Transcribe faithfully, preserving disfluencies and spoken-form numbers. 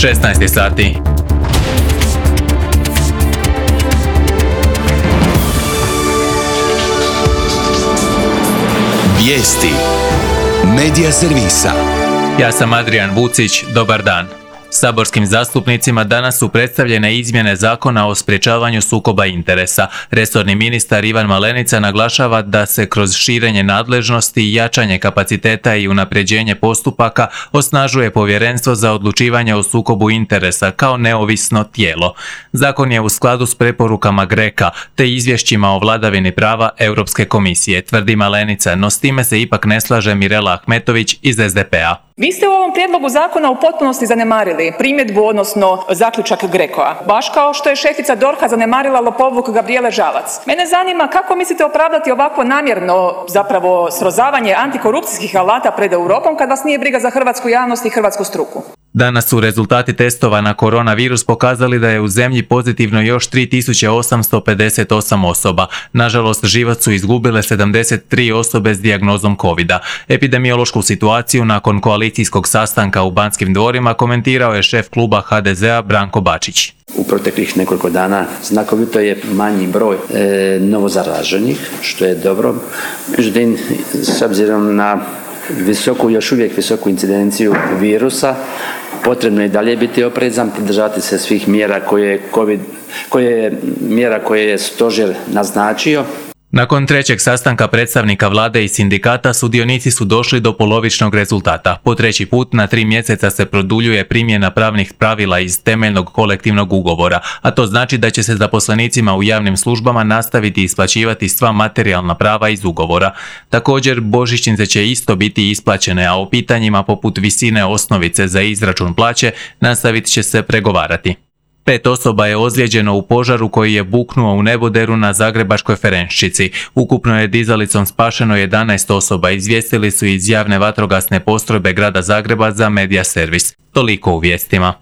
šesnaest sati. Vijesti Medija servisa. Ja sam Adrian Vucić, dobar dan. Saborskim zastupnicima danas su predstavljene izmjene Zakona o sprječavanju sukoba interesa. Resorni ministar Ivan Malenica naglašava da se kroz širenje nadležnosti, jačanje kapaciteta i unapređenje postupaka osnažuje Povjerenstvo za odlučivanje o sukobu interesa kao neovisno tijelo. Zakon je u skladu s preporukama GRECO-a te izvješćima o vladavini prava Europske komisije, tvrdi Malenica, no s time se ipak ne slaže Mirela Ahmetović iz S D P-a. Vi ste u ovom prijedlogu zakona u potpunosti zanemarili primjedbu, odnosno zaključak GRECO-a, baš kao što je šefica D O R H-a zanemarila lopovluk Gabrijele Žalac. Mene zanima kako mislite opravdati ovako namjerno zapravo srozavanje antikorupcijskih alata pred Europom kad vas nije briga za hrvatsku javnost i hrvatsku struku. Danas su rezultati testova na koronavirus pokazali da je u zemlji pozitivno još tri tisuće osamsto pedeset osam osoba. Nažalost, život su izgubile sedamdeset tri osobe s dijagnozom covida. Epidemiološku situaciju nakon koalicijskog sastanka u Banskim dvorima komentirao je šef kluba H D Z-a Branko Bačić. U proteklih nekoliko dana znakovito je manji broj e, novozaraženih, što je dobro. Međutim, s obzirom na visoku, još uvijek visoku incidenciju virusa, potrebno je dalje biti oprezan, pridržavati se svih mjera koje, COVID, koje, mjera koje je stožer naznačio. Nakon trećeg sastanka predstavnika vlade i sindikata, sudionici su došli do polovičnog rezultata. Po treći put na tri mjeseca se produljuje primjena pravnih pravila iz temeljnog kolektivnog ugovora, a to znači da će se zaposlenicima u javnim službama nastaviti isplaćivati sva materijalna prava iz ugovora. Također, božićnice će isto biti isplaćene, a o pitanjima poput visine osnovice za izračun plaće nastavit će se pregovarati. Pet osoba je ozlijeđeno u požaru koji je buknuo u neboderu na Zagrebačkoj Ferenščici. Ukupno je dizalicom spašeno jedanaest osoba, izvijestili su iz javne vatrogasne postrojbe grada Zagreba za Medija servis. Toliko u vijestima.